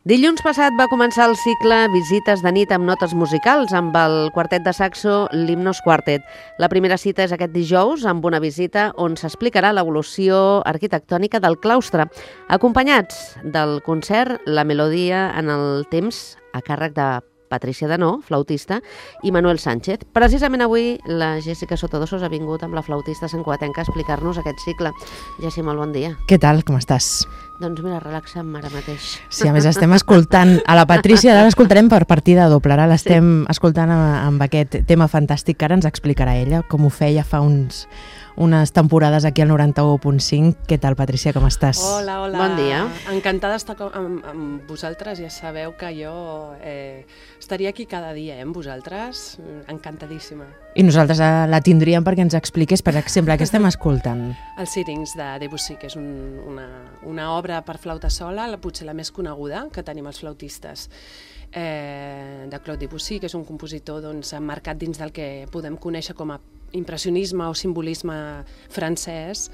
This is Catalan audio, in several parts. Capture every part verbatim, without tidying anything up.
Dilluns passat va començar el cicle Visites de nit amb notes musicals amb el quartet de saxo Limnos Quartet. La primera cita és aquest dijous amb una visita on s'explicarà l'evolució arquitectònica del claustre, acompanyats del concert La Melodia en el temps a càrrec de Patricia Denó, flautista, i Manuel Sánchez. Precisament avui la Jessica Sotodossos ha vingut amb la flautista santcugatenca a explicar-nos aquest cicle. Jessi, molt bon dia. Què tal, com estàs? Doncs mira, relaxa'm ara mateix. Sí, a més estem escoltant a la Patricia, ara l'escoltarem per partida doble, ara l'estem sí. escoltant amb aquest tema fantàstic que ara ens explicarà ella, com ho feia fa uns... unes temporades aquí al noranta-u punt cinc. Què tal, Patricia, com estàs? Hola, hola. Bon dia. Encantada d'estar amb, amb vosaltres. Ja sabeu que jo eh, estaria aquí cada dia eh, amb vosaltres. Encantadíssima. I nosaltres la tindríem perquè ens expliqués, per exemple, què estem escoltant? Els Sirings de Debussy, que és un, una, una obra per flauta sola, la, potser la més coneguda que tenim els flautistes. Eh, de Claude Debussy, que és un compositor doncs, emmarcat dins del que podem conèixer com a impressionisme o simbolisme francès,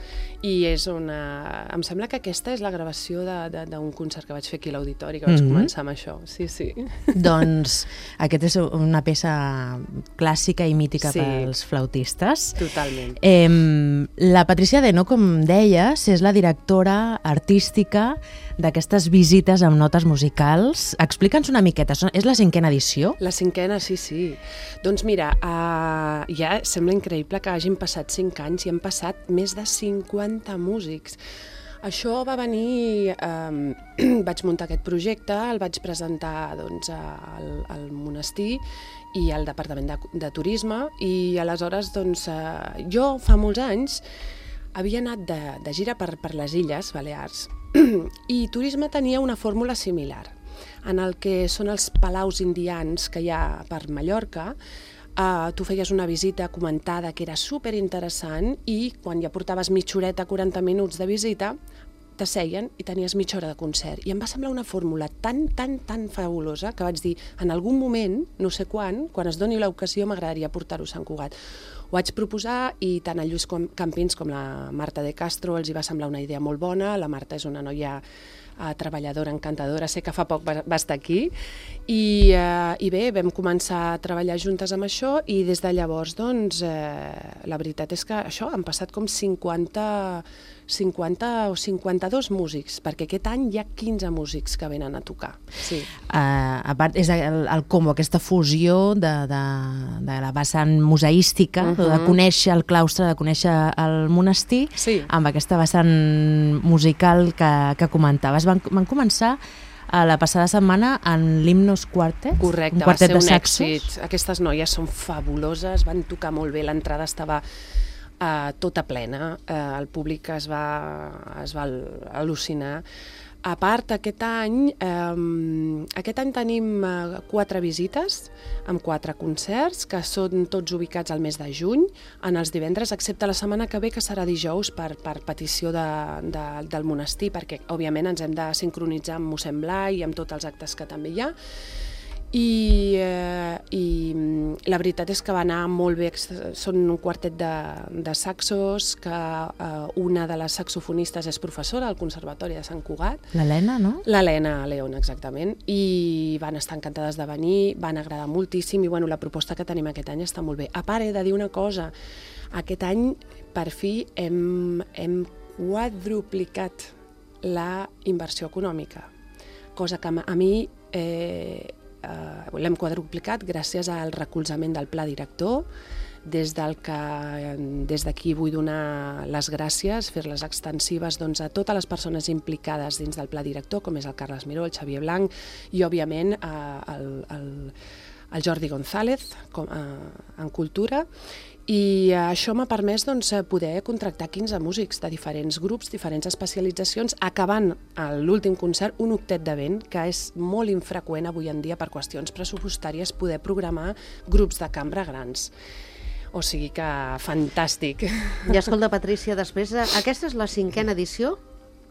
i és una... em sembla que aquesta és la gravació d'un concert que vaig fer aquí a l'Auditori, que vaig mm-hmm. començar amb això. Sí, sí. Doncs aquesta és una peça clàssica i mítica sí. pels flautistes. Totalment. Eh, la Patricia Denó, com deies, és la directora artística d'aquestes visites amb notes musicals. Explica'ns una miqueta, és la cinquena edició? La cinquena, sí, sí. Doncs mira, uh, ja sembla increïble que hagin passat cinc anys i han passat més de cinquanta músics. Això va venir... Eh, vaig muntar aquest projecte, el vaig presentar doncs, al, al monestir i al Departament de, de Turisme, i aleshores doncs, eh, jo fa molts anys havia anat de, de gira per, per les Illes Balears i Turisme tenia una fórmula similar, en el que són els palaus indians que hi ha per Mallorca. Uh, tu feies una visita comentada que era superinteressant i quan ja portaves mitja horeta, quaranta minuts de visita, t'asseien i tenies mitja hora de concert. I em va semblar una fórmula tan, tan, tan fabulosa que vaig dir, en algun moment, no sé quan, quan es doni l'ocasió, m'agradaria portar-ho a Sant Cugat. Ho vaig proposar i tant el Lluís Campins com la Marta de Castro els hi va semblar una idea molt bona. La Marta és una noia uh, treballadora, encantadora, sé que fa poc va, va estar aquí, i, uh, i bé, vam començar a treballar juntes amb això, i des de llavors, doncs, uh, la veritat és que això, han passat com cinquanta, cinquanta o cinquanta-dos músics, perquè aquest any hi ha quinze músics que venen a tocar. Sí. Uh, a part, és el, el combo, aquesta fusió de, de, de la vessant museística, uh-huh. de conèixer el claustre, de conèixer el monestir, sí. amb aquesta vessant musical que, que comentaves. Van, van començar a la passada setmana en Limnos Quartet. Correcte, un quartet va ser un saxos. èxit. Aquestes noies són fabuloses, van tocar molt bé, l'entrada estava uh, tota plena, uh, el públic es va, es va al·lucinar. A part, aquest any, eh, aquest any tenim eh, quatre visites amb quatre concerts que són tots ubicats al mes de juny, en els divendres, excepte la setmana que ve, que serà dijous per, per petició de, de, del monestir, perquè òbviament ens hem de sincronitzar amb mossèn Blai i amb tots els actes que també hi ha. I, eh, i la veritat és que va anar molt bé. Són un quartet de, de saxos, que eh, una de les saxofonistes és professora al Conservatori de Sant Cugat. L'Helena, no? L'Helena León, exactament, i van estar encantades de venir, van agradar moltíssim, i bueno, la proposta que tenim aquest any està molt bé. A part, he de dir una cosa, aquest any per fi hem, hem quadruplicat la inversió econòmica, cosa que a mi... Eh, Uh, l'hem quadruplicat gràcies al recolzament del pla director, des del que des d'aquí vull donar les gràcies, fer-les extensives doncs, a totes les persones implicades dins del pla director, com és el Carles Miró, el Xavier Blanc i, òbviament, uh, el, el, el Jordi González com, uh, en cultura. I això m'ha permès doncs, poder contractar quinze músics de diferents grups, diferents especialitzacions, acabant l'últim concert un octet de vent, que és molt infreqüent avui en dia per qüestions pressupostàries poder programar grups de cambra grans. O sigui que fantàstic. I escolta, Patricia, després, aquesta és la cinquena edició?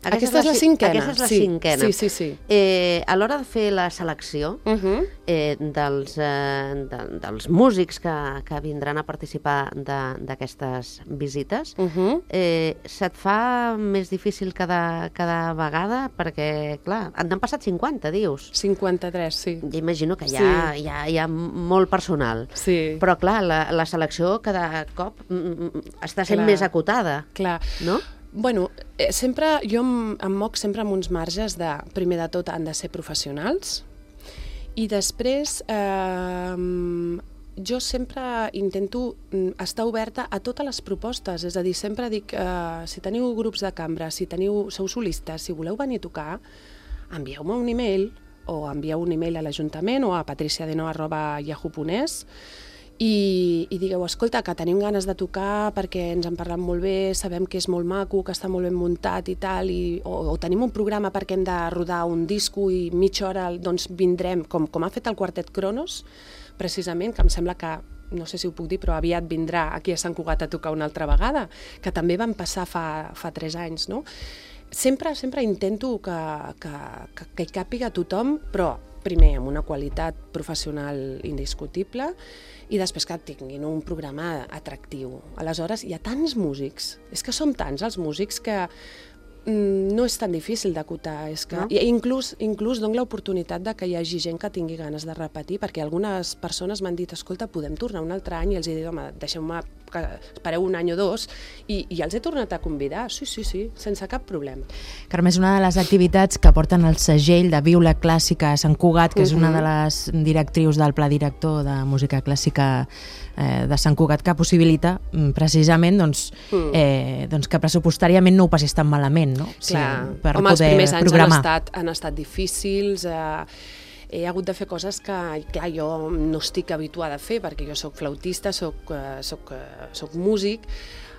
Aquesta, aquesta és la cinquena. Aquesta és la sí. cinquena. Sí, sí, sí. Eh, a l'hora de fer la selecció uh -huh. eh, dels, eh, de, dels músics que, que vindran a participar d'aquestes visites, uh -huh. eh, se't fa més difícil cada, cada vegada? Perquè, clar, n'han passat cinquanta, dius. cinquanta-tres, sí. Ja imagino que hi ha, sí. hi ha, hi ha molt personal. Sí. Però, clar, la, la selecció cada cop està sent clar. més acotada. Clar. No? Bueno, eh, sempre, jo em, em moc sempre amb uns marges de, primer de tot, han de ser professionals, i després eh, jo sempre intento estar oberta a totes les propostes, és a dir, sempre dic, eh, si teniu grups de cambra, si teniu, sou solistes, si voleu venir a tocar, envieu-me un e-mail, o envieu un e-mail a l'Ajuntament o a patriciadeno arroba yahoo punt es, I, i digueu, escolta, que tenim ganes de tocar perquè ens han parlat molt bé, sabem que és molt maco, que està molt ben muntat i tal, i, o, o tenim un programa perquè hem de rodar un disco i mitja hora doncs vindrem, com, com ha fet el Quartet Cronos, precisament, que em sembla que, no sé si ho puc dir, però aviat vindrà aquí a Sant Cugat a tocar una altra vegada, que també van passar fa, fa tres anys, no? Sempre, sempre intento que, que, que, que hi càpiga tothom, però primer amb una qualitat professional indiscutible i després que tinguin un programa atractiu. Aleshores, hi ha tants músics, és que som tants els músics que mm, no és tan difícil d'acotar. És que, no? I inclús, inclús dono l'oportunitat de que hi hagi gent que tingui ganes de repetir, perquè algunes persones m'han dit, escolta, podem tornar un altre any, i els he dit, home, deixeu-me que espereu un any o dos, i, i els he tornat a convidar, sí, sí, sí, sense cap problema. Carme, és una de les activitats que porten el segell de Viu la Clàssica a Sant Cugat, que uh-huh. és una de les directrius del Pla Director de Música Clàssica eh, de Sant Cugat, que possibilita precisament doncs, mm. eh, doncs que pressupostàriament no ho passis tan malament, no? Clar, sí, per home, els poder primers anys programar. han estat, han estat difícils, eh, he hagut de fer coses que, clar, jo no estic habituada a fer, perquè jo soc flautista, soc, uh, soc, uh, soc músic,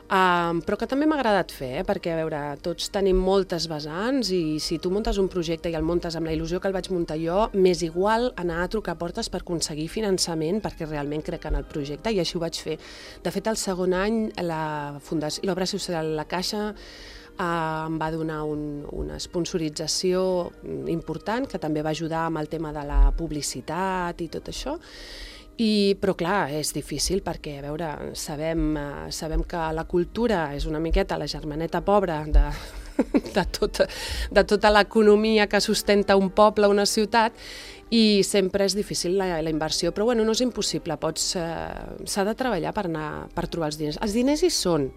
uh, però que també m'ha agradat fer, eh? Perquè, a veure, tots tenim moltes vessants i si tu muntes un projecte i el muntes amb la il·lusió que el vaig muntar jo, m'és igual anar a trucar portes per aconseguir finançament, perquè realment crec en el projecte, i així ho vaig fer. De fet, el segon any, la Fundació, l'Obra Social La Caixa, Uh, em va donar un, una sponsorització important que també va ajudar amb el tema de la publicitat i tot això. I, però clar, és difícil perquè, a veure, sabem, uh, sabem que la cultura és una miqueta la germaneta pobra de, de, tot, de tota l'economia que sustenta un poble, una ciutat, i sempre és difícil la, la inversió, però bueno, no és impossible, pots, uh, s'ha de treballar per, anar, per trobar els diners. Els diners hi són.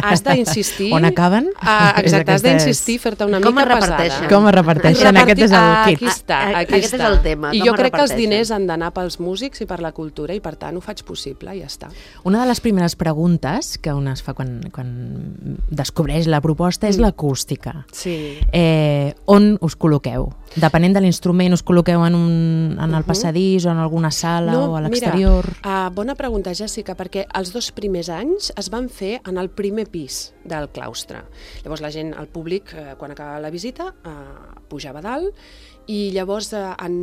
Has d'insistir... On acaben? Uh, exacte, has d'insistir, fer-te una com mica pesada. Com es reparteixen? Aquest és el kit. Aquí està, aquí Aquest està. és el tema. I jo crec que els diners han d'anar pels músics i per la cultura, i per tant ho faig possible i ja està. Una de les primeres preguntes que una es fa quan, quan descobreix la proposta és mm. l'acústica. Sí. Eh, on us col·loqueu? Depenent de l'instrument, us col·loqueu en, un, en el passadís o en alguna sala no, o a l'exterior? Mira, uh, bona pregunta, Jessica, perquè els dos primers anys es van fer en el primer pis del claustre. Llavors la gent, el públic, eh, quan acabava la visita, eh, pujava a dalt, i llavors eh, en,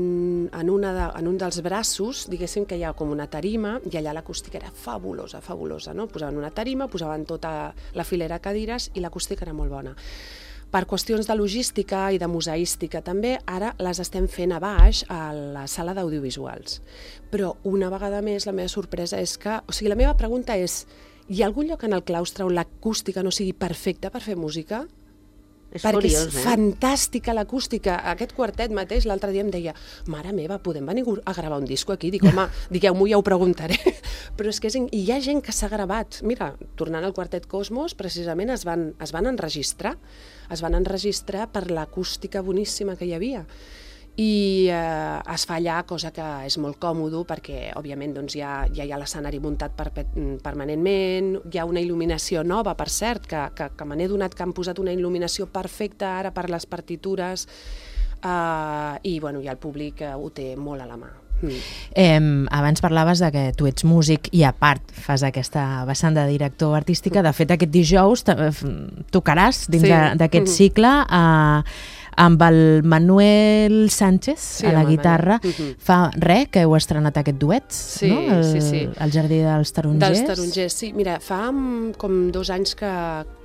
en, una de, en un dels braços, diguéssim que hi ha com una tarima, i allà l'acústica era fabulosa, fabulosa, no? Posaven una tarima, posaven tota la filera de cadires i l'acústica era molt bona. Per qüestions de logística i de museística també, ara les estem fent a baix a la sala d'audiovisuals. Però una vegada més la meva sorpresa és que, o sigui, la meva pregunta és, hi ha algun lloc en el claustre on l'acústica no sigui perfecta per fer música? És perquè curiós, és eh? fantàstica l'acústica. Aquest quartet mateix l'altre dia em deia, mare meva, podem venir a gravar un disco aquí? Dic, home, digueu-m'ho, ja ho preguntaré. Però és que és, hi ha gent que s'ha gravat. Mira, tornant al Quartet Cosmos, precisament es van, es van enregistrar. Es van enregistrar per l'acústica boníssima que hi havia. I eh, es fa allà, cosa que és molt còmodo perquè, òbviament, doncs, ja, ja hi ha l'escenari muntat per, permanentment, hi ha una il·luminació nova, per cert, que, que, que me n'he donat que han posat una il·luminació perfecta ara per les partitures, eh, i bueno, ja el públic eh, ho té molt a la mà. Mm. Eh, abans parlaves de que tu ets músic i a part fas aquesta vessant de director artística. De fet, aquest dijous tocaràs dins sí. d'aquest mm-hmm. cicle eh, amb el Manuel Sánchez sí, a la guitarra. Mm-hmm. Fa res que heu estrenat aquest duet, sí, no? El, sí, sí. el Jardí dels Tarongers. Dels Tarongers, sí. Mira, fa com dos anys que,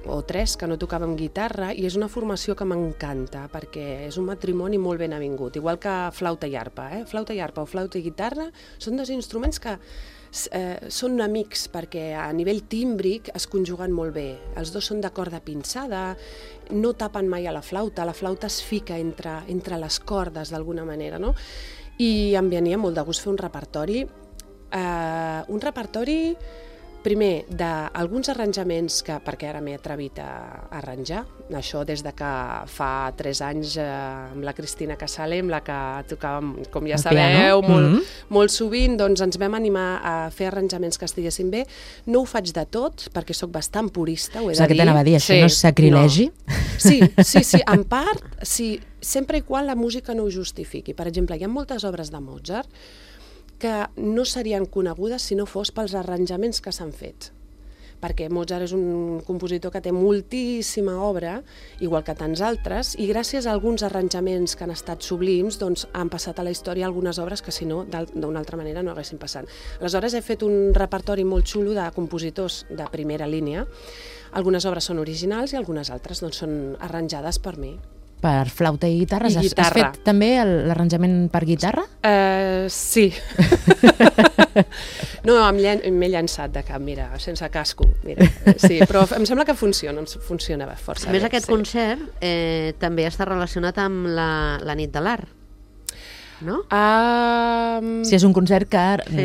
o tres que no tocàvem guitarra, i és una formació que m'encanta, perquè és un matrimoni molt ben avingut, igual que flauta i arpa. Eh? Flauta i arpa o flauta i guitarra són dos instruments que eh, són amics, perquè a nivell tímbric es conjuguen molt bé. Els dos són de corda pinçada, no tapen mai a la flauta, la flauta es fica entre, entre les cordes d'alguna manera, no? I em venia molt de gust fer un repertori, eh, un repertori primer d'alguns arranjaments que, perquè ara m'he atrevit a arranjar, això des de que fa tres anys eh, amb la Cristina Casale, amb la que tocàvem, com ja sabeu, molt, mm-hmm. molt sovint, doncs ens vam animar a fer arranjaments que estiguessin bé. No ho faig de tot, perquè sóc bastant purista, ho he de dir. És el que t'anava a dir, això sí, no és sacrilegi? No. Sí, sí, sí, en part, sí, sempre i quan la música no ho justifiqui. Per exemple, hi ha moltes obres de Mozart que no serien conegudes si no fos pels arranjaments que s'han fet. Perquè Mozart és un compositor que té moltíssima obra, igual que tants altres, i gràcies a alguns arranjaments que han estat sublims, doncs han passat a la història algunes obres que si no, d'una altra manera no haguessin passat. Aleshores he fet un repertori molt xulo de compositors de primera línia. Algunes obres són originals i algunes altres doncs, són arranjades per mi. Per flauta i guitarra. I has, guitarra. Has fet també l'arranjament per guitarra? Uh, sí. No, m'he llançat de cap, mira, sense casco. Mira. Sí, però em sembla que funciona, funciona força bé. A més, bé, aquest sí. concert eh, també està relacionat amb la, la nit de l'art. No? Um... Sí, és un concert que sí.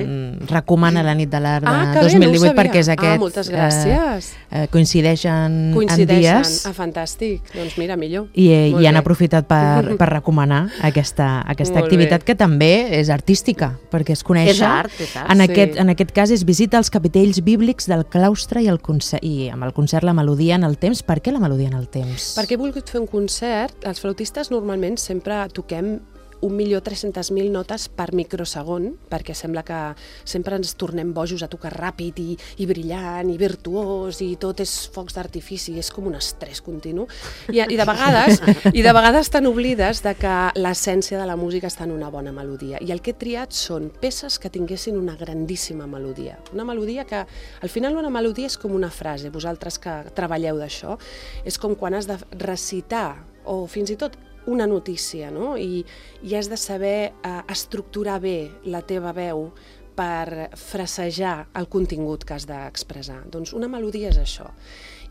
recomana la nit de l'art de ah, dos mil divuit no perquè és aquest... Ah, moltes gràcies. Eh, coincideixen, coincideixen en dies. Ah, fantàstic. Doncs mira, millor. I, i han aprofitat per, per recomanar aquesta, aquesta activitat bé. Que també és artística, perquè es coneix... És art, és art. En, sí. aquest, en aquest cas és visita als capitells bíblics del claustre i, el concert, i amb el concert la melodia en el temps. Per què la melodia en el temps? Perquè he volgut fer un concert. Els flautistes normalment sempre toquem un milió tres-centes mil notes per microsegon, perquè sembla que sempre ens tornem bojos a tocar ràpid i, i brillant i virtuós i tot és focs d'artifici, és com un estrès continu. I, i, de vegades, I de vegades tan oblides de que l'essència de la música està en una bona melodia. I el que he triat són peces que tinguessin una grandíssima melodia. Una melodia que, al final, una melodia és com una frase. Vosaltres que treballeu d'això, és com quan has de recitar o fins i tot una notícia, no? I, i has de saber eh, estructurar bé la teva veu per frasejar el contingut que has d'expressar. Doncs una melodia és això.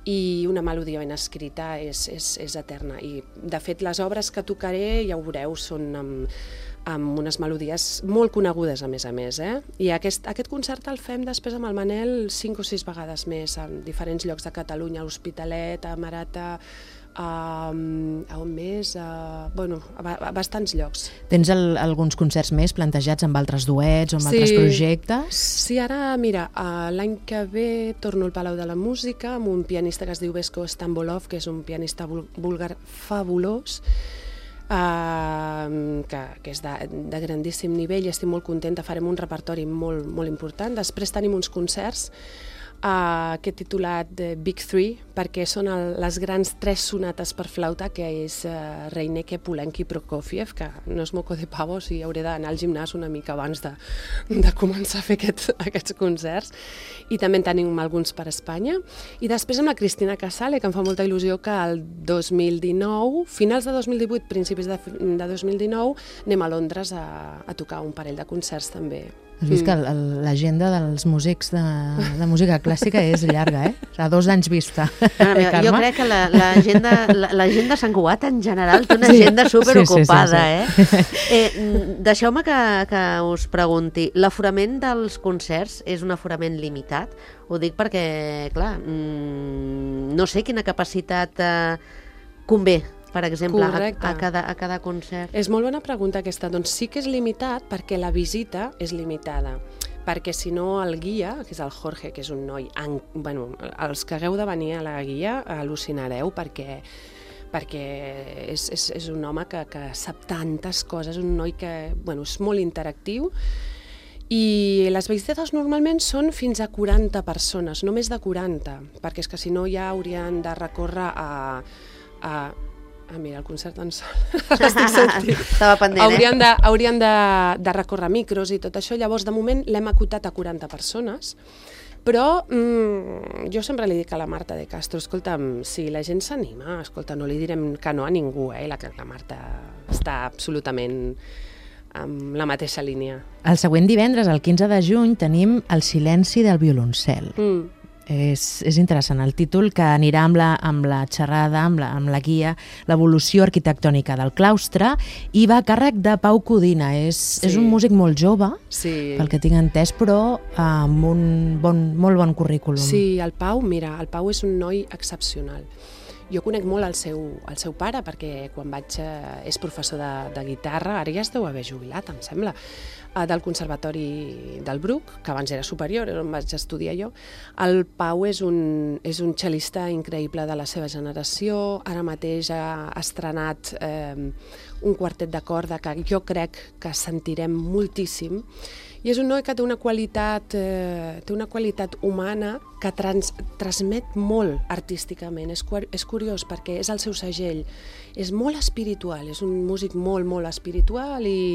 I una melodia ben escrita és, és, és eterna. I, de fet, les obres que tocaré, ja ho veureu, són amb, amb unes melodies molt conegudes, a més a més. Eh? I aquest, aquest concert el fem després amb el Manel cinc o sis vegades més, en diferents llocs de Catalunya, a l'Hospitalet, a Marata, a, a on més? A, bueno, a, a bastants llocs. Tens el, alguns concerts més plantejats amb altres duets o amb sí. altres projectes? Sí, ara, mira, l'any que ve torno al Palau de la Música amb un pianista que es diu Vesko Stambolov, que és un pianista búlgar fabulós, Uh, que, que és de, de grandíssim nivell i estic molt contenta, farem un repertori molt, molt important. Després tenim uns concerts uh, que he titulat uh, Big Three, perquè són el, les grans tres sonates per flauta, que és uh, Reineke, Poulenc i Prokofiev, que no és moco de pavo, o sigui, hauré d'anar al gimnàs una mica abans de, de començar a fer aquest, aquests concerts. I també en tenim alguns per Espanya. I després amb la Cristina Casale, que em fa molta il·lusió que el dos mil dinou, finals de dos mil divuit, principis de, de dos mil dinou, anem a Londres a, a tocar un parell de concerts també. Has vist que l'agenda dels músics de, de música clàssica és llarga, eh? A dos anys vista. Ah, eh, jo crec que l'agenda la, la, de Sant Cugat en general té una agenda superocupada, sí, sí, sí, sí. eh? eh Deixeu-me que, que us pregunti, l'aforament dels concerts és un aforament limitat? Ho dic perquè, clar, mmm, no sé quina capacitat eh, convé, per exemple, a, a, cada, a cada concert. És molt bona pregunta aquesta. Doncs sí que és limitat perquè la visita és limitada. Perquè si no el guia, que és el Jorge, que és un noi... En, bueno, els que hagueu de venir a la guia al·lucinareu perquè perquè és, és, és un home que, que sap tantes coses, un noi que bueno, és molt interactiu. I les visites normalment són fins a quaranta persones, no més de quaranta, perquè és que si no ja haurien de recórrer a... a Ah, mira, el concert en sol. Estic sentint. Estava pendent, haurien eh? de, haurien de, de recórrer micros i tot això. Llavors, de moment, l'hem acotat a quaranta persones, Però mm, jo sempre li dic a la Marta de Castro, escolta'm, si la gent s'anima, escolta, no li direm que no a ningú, eh? La, la Marta està absolutament amb la mateixa línia. El següent divendres, el quinze de juny, tenim El silenci del violoncel. Mm. És, és interessant el títol, que anirà amb la, amb la xerrada, amb la, amb la guia, l'evolució arquitectònica del claustre, i va a càrrec de Pau Codina. És, sí. és un músic molt jove, sí. pel que tinc entès, però amb un bon, molt bon currículum. Sí, el Pau, mira, el Pau és un noi excepcional. Jo conec molt el seu, el seu pare, perquè quan vaig... Eh, és professor de, de guitarra, ara ja es deu haver jubilat, em sembla, eh, del Conservatori del Bruc, que abans era superior, on vaig estudiar jo. El Pau és un, és un cel·lista increïble de la seva generació, ara mateix ha estrenat eh, un quartet de corda que jo crec que sentirem moltíssim, i és un noi que té una qualitat, eh, té una qualitat humana que trans, transmet molt artísticament. És, és curiós perquè és el seu segell. És molt espiritual, és un músic molt, molt espiritual i,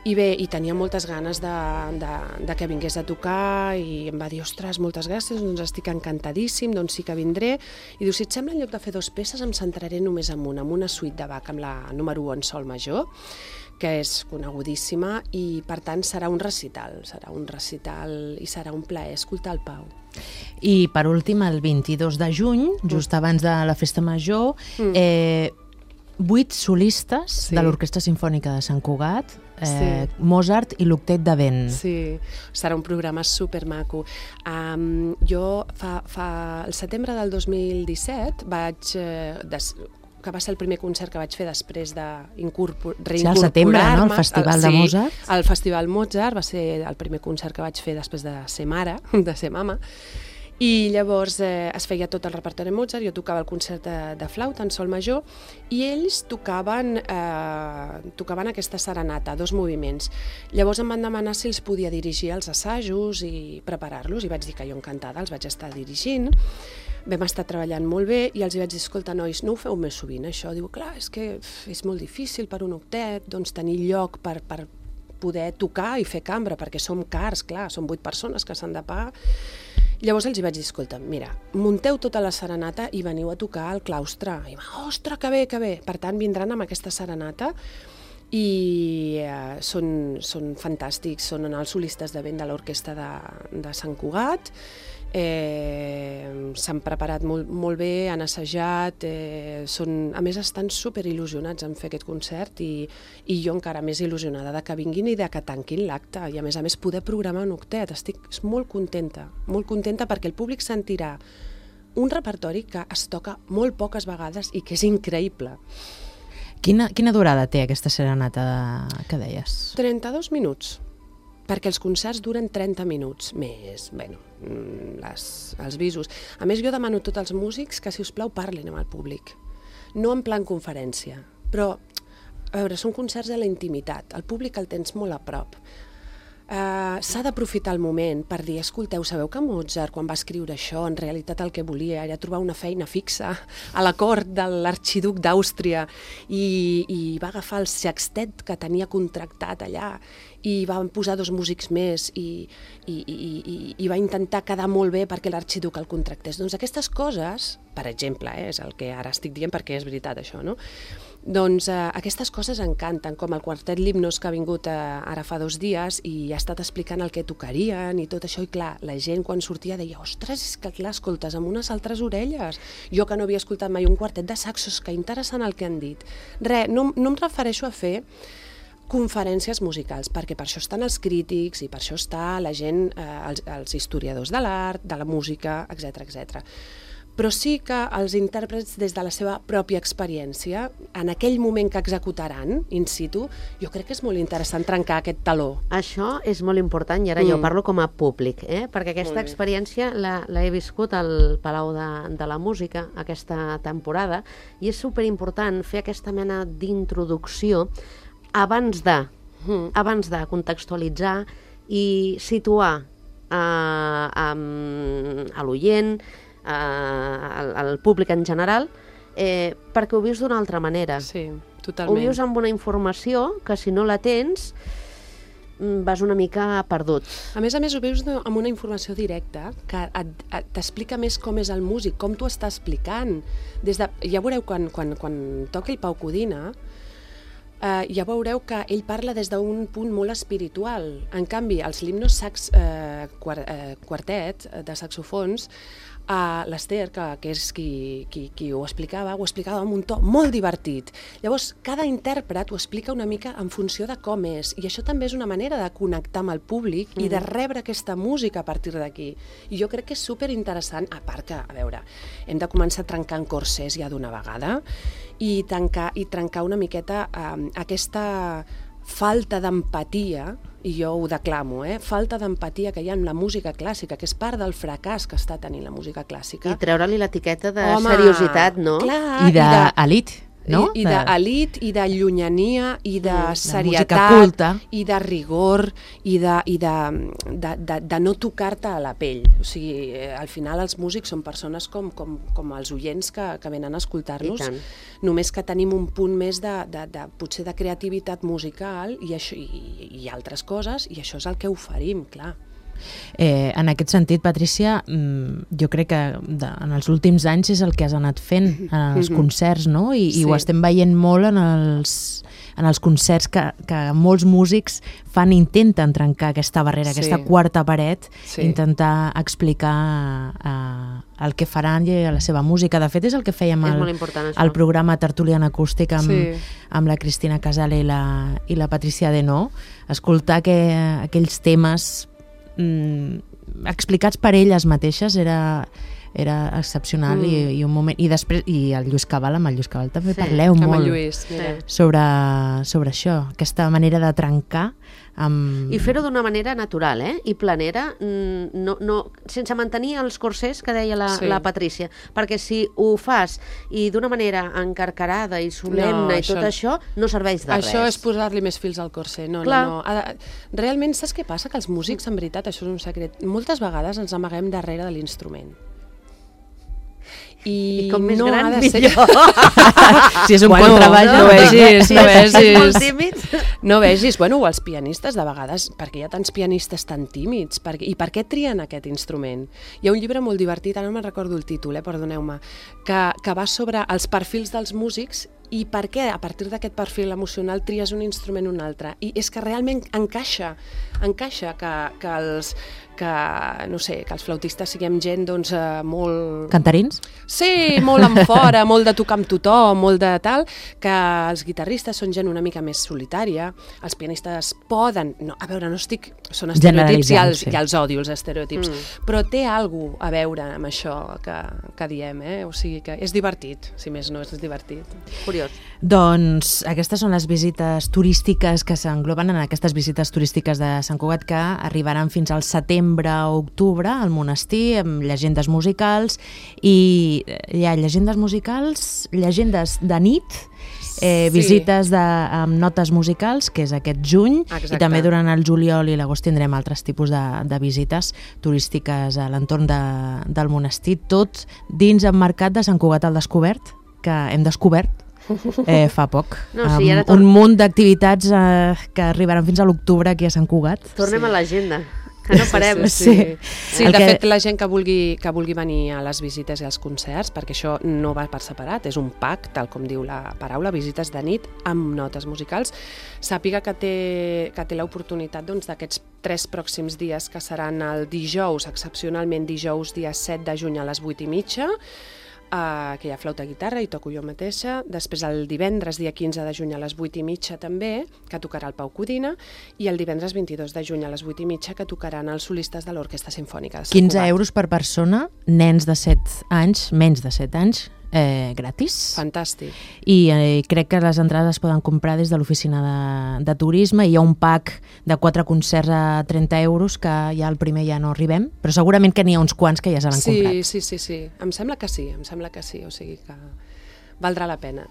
i bé, i tenia moltes ganes de, de, de que vingués a tocar i em va dir, ostres, moltes gràcies, doncs estic encantadíssim, doncs sí que vindré. I diu, si et sembla, en lloc de fer dos peces em centraré només en una, en una suite de Bach, amb la número u en sol major, que és conegudíssima, i per tant serà un recital, serà un recital i serà un plaer escoltar el Pau. I per últim, el vint-i-dos de juny, just abans de la Festa Major, mm. eh, vuit solistes sí. de l'Orquestra Simfònica de Sant Cugat, eh, sí. Mozart i l'Octet de Vent. Sí, serà un programa supermaco. Um, jo fa, fa el setembre del dos mil disset vaig... Eh, des, que va ser el primer concert que vaig fer després de reincorporar-me. Sí, al setembre, no? El Festival el, de sí, Mozart. El Festival Mozart va ser el primer concert que vaig fer després de ser mare, de ser mama, i llavors eh, es feia tot el repertori Mozart, jo tocava el concert de, de flauta en sol major, i ells tocaven, eh, tocaven aquesta serenata, dos moviments. Llavors em van demanar si els podia dirigir els assajos i preparar-los, i vaig dir que jo encantada els vaig estar dirigint. Vam estar treballant molt bé i els hi vaig dir, escolta, nois, no ho feu més sovint, això? Diu, clar, és que és molt difícil per un octet, doncs tenir lloc per, per poder tocar i fer cambra, perquè som cars, clar, som vuit persones que s'han de pagar. Llavors els hi vaig dir, escolta, mira, munteu tota la serenata i veniu a tocar al claustre. I va, ostres, que bé, que bé. Per tant, vindran amb aquesta serenata i eh, són, són fantàstics, són els solistes de vent de l'orquestra de, de Sant Cugat. Eh, s'han preparat molt, molt bé, han assajat, eh, són, a més estan super il·lusionats en fer aquest concert i, i jo encara més il·lusionada de que vinguin i de que tanquin l'acte i a més a més poder programar un octet. Estic molt contenta, molt contenta perquè el públic sentirà un repertori que es toca molt poques vegades i que és increïble. Quina, quina durada té aquesta serenata que deies? trenta-dos minuts. Perquè els concerts duren trenta minuts més, bueno, les, els visos. A més, jo demano a tots els músics que, si us plau, parlin amb el públic. No en plan conferència, però, a veure, són concerts de la intimitat. El públic el tens molt a prop. Uh, s'ha d'aprofitar el moment per dir, escolteu, sabeu que Mozart, quan va escriure això, en realitat el que volia era trobar una feina fixa a la cort de l'arxiduc d'Àustria i, i va agafar el sextet que tenia contractat allà i van posar dos músics més i, i, i, i, i va intentar quedar molt bé perquè l'arxiduc el contractés. Doncs aquestes coses, per exemple, eh, és el que ara estic dient perquè és veritat això, no? Doncs eh, aquestes coses encanten, com el quartet Limnos que ha vingut eh, ara fa dos dies i ha estat explicant el que tocarien i tot això, i clar, la gent quan sortia deia, ostres, és que clar, escoltes amb unes altres orelles. Jo que no havia escoltat mai un quartet de saxos, que interessant el que han dit. Res, no, no em refereixo a fer conferències musicals, perquè per això estan els crítics i per això està la gent, eh, els, els historiadors de l'art, de la música, etcètera, etcètera. Però sí que els intèrprets, des de la seva pròpia experiència, en aquell moment que executaran, in situ, jo crec que és molt interessant trencar aquest taló. Això és molt important, i ara mm. jo parlo com a públic, eh? Perquè aquesta experiència l'he viscut al Palau de, de la Música aquesta temporada, i és superimportant fer aquesta mena d'introducció abans de, mm. abans de contextualitzar i situar eh, a, a l'oient, Al, al públic en general, eh, perquè ho vius d'una altra manera. Sí, totalment. Ho vius amb una informació que, si no la tens, vas una mica perdut. A més a més ho veus amb una informació directa que t'explica més com és el músic, com t'ho està explicant. Des de, ja veureu, quan, quan, quan toqui el Pau Codina, eh, ja veureu que ell parla des d'un punt molt espiritual. En canvi, els Limnos sax, eh, quart, eh, quartet de saxofons, Uh, l'Ester, que, que és qui, qui, qui ho explicava, ho explicava amb un to molt divertit. Llavors, cada intèrpret ho explica una mica en funció de com és, i això també és una manera de connectar amb el públic mm. i de rebre aquesta música a partir d'aquí. I jo crec que és superinteressant, a part que, a veure, hem de començar trencant corsers ja d'una vegada i, tancar, i trencar una miqueta uh, aquesta falta d'empatia, i jo ho declamo, eh? falta d'empatia que hi ha en la música clàssica, que és part del fracàs que està tenint la música clàssica. I treure-li l'etiqueta de Home, seriositat, no? Clar, I d'elit, no? I, i d'elit, i de llunyania, i de mm, serietat, i de rigor, i de, i de, de, de, de no tocar-te a la pell. O sigui, al final els músics són persones com, com, com els oients que, que venen a escoltar-nos, només que tenim un punt més de, de, de, potser de creativitat musical i, això, i, i altres coses, i això és el que oferim, clar. Eh, en aquest sentit, Patrícia, jo crec que de, en els últims anys és el que has anat fent en els concerts, no? I, sí. i ho estem veient molt en els, en els concerts que, que molts músics fan, intenten trencar aquesta barrera, sí. aquesta quarta paret, sí. intentar explicar eh, el que faran i la seva música. De fet, és el que fèiem al, al programa Tertulian Acústic amb, sí. amb la Cristina Casale i la, i la Patricia Denó, escoltar que, aquells temes explicats per elles mateixes era, era excepcional mm. i, i un moment, i després i el Lluís Cabal, amb el Lluís Cabal també sí, parleu molt Lluís, sobre, sobre això, aquesta manera de trencar amb... I fer-ho d'una manera natural, eh? I planera, no, no, sense mantenir els corsers que deia la, sí. la Patrícia, perquè si ho fas i d'una manera encarcarada i solemne no, i tot això, això no serveix de això res. Això és posar-li més fils al corser. No, Clar. no, no. Realment, saps què passa? Que els músics, en veritat, això és un secret, moltes vegades ens amaguem darrere de l'instrument. I, I com més no gran, ha de ser... si és un bueno, contrabaix, no, no vegis, no vegis. Sí, no vegis, bueno, els pianistes de vegades, perquè hi ha tants pianistes tan tímids, perquè, i per què trien aquest instrument? Hi ha un llibre molt divertit, ara no me'n recordo el títol, eh, perdoneu-me, que, que va sobre els perfils dels músics i per què a partir d'aquest perfil emocional tries un instrument o un altre. I és que realment encaixa, encaixa que, que els que, no sé, que els flautistes siguem gent doncs, eh, molt... Cantarins? Sí, molt en fora, molt de tocar amb tothom, molt de tal, que els guitarristes són gent una mica més solitària, els pianistes poden... No, a veure, no estic... Són estereotips i els, sí. i els odio, els estereotips, mm. però té alguna cosa a veure amb això que, que diem, eh? O sigui que és divertit, si més no, és divertit. Curiós. Doncs aquestes són les visites turístiques que s'engloben en aquestes visites turístiques de Sant Cugat que arribaran fins al setembre o octubre al monestir amb llegendes musicals i hi ha llegendes musicals, llegendes de nit, eh, visites sí. de, amb notes musicals, que és aquest juny. Exacte. I també durant el juliol i l'agost tindrem altres tipus de, de visites turístiques a l'entorn de, del monestir, tot dins emmarcat de Sant Cugat al Descobert, que hem descobert Eh, fa poc. No, sí, ara um, un munt d'activitats eh, que arribaran fins a l'octubre aquí a Sant Cugat. Tornem sí. a l'agenda, que no parem. Sí, sí, sí. sí de que... fet, la gent que vulgui, que vulgui venir a les visites i als concerts, perquè això no va per separat, és un pack, tal com diu la paraula, visites de nit amb notes musicals, sàpiga que té, que té l'oportunitat doncs, d'aquests tres pròxims dies, que seran el dijous, excepcionalment dijous, dia set de juny a les vuit i mitja, Uh, que hi ha flauta guitarra i toco jo mateixa, després el divendres dia quinze de juny a les vuit i mitja també, que tocarà el Pau Codina, i el divendres vint-i-dos de juny a les vuit i mitja que tocaran els solistes de l'Orquestra Simfònica de Sant Cugat. quinze euros per persona, nens de set anys, menys de set anys, eh, gratis. Fantàstic. I eh, crec que les entrades es poden comprar des de l'oficina de, de turisme, i hi ha un pack de quatre concerts a trenta euros que ja el primer ja no arribem, però segurament que n'hi ha uns quants que ja s'han sí, comprat. Sí, sí, sí, em sembla que sí, em sembla que sí, o sigui que valdrà la pena.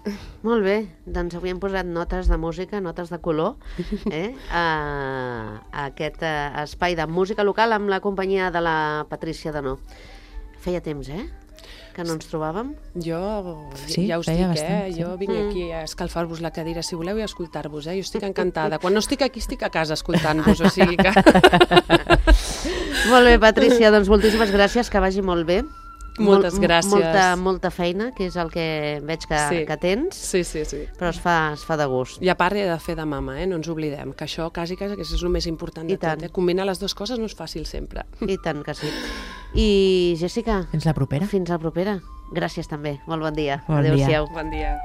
Molt bé, doncs avui hem posat notes de música, notes de color, eh? a, a aquest a, espai de música local amb la companyia de la Patricia Denó. Feia temps, eh? que no ens trobàvem? Jo, sí, ja us dic, bastant, eh? Sí. Jo vinc aquí a escalfar-vos la cadira, si voleu, i a escoltar-vos, eh? Jo estic encantada. Quan no estic aquí, estic a casa escoltant-vos, o sigui que... Molt bé, Patrícia, doncs moltíssimes gràcies, que vagi molt bé. Moltes Mol, gràcies. Molta, molta feina, que és el que veig que, sí. que tens. Sí, sí, sí. Però es fa, es fa de gust. I a part he de fer de mama, eh? No ens oblidem, que això quasi, quasi que és el més important de tot. Eh? Combinar les dues coses no és fàcil sempre. I tant que sí. I Jessica... Fins la propera. Fins la propera. Gràcies també. Molt bon dia. Bon Adéu-siau. dia. Bon dia.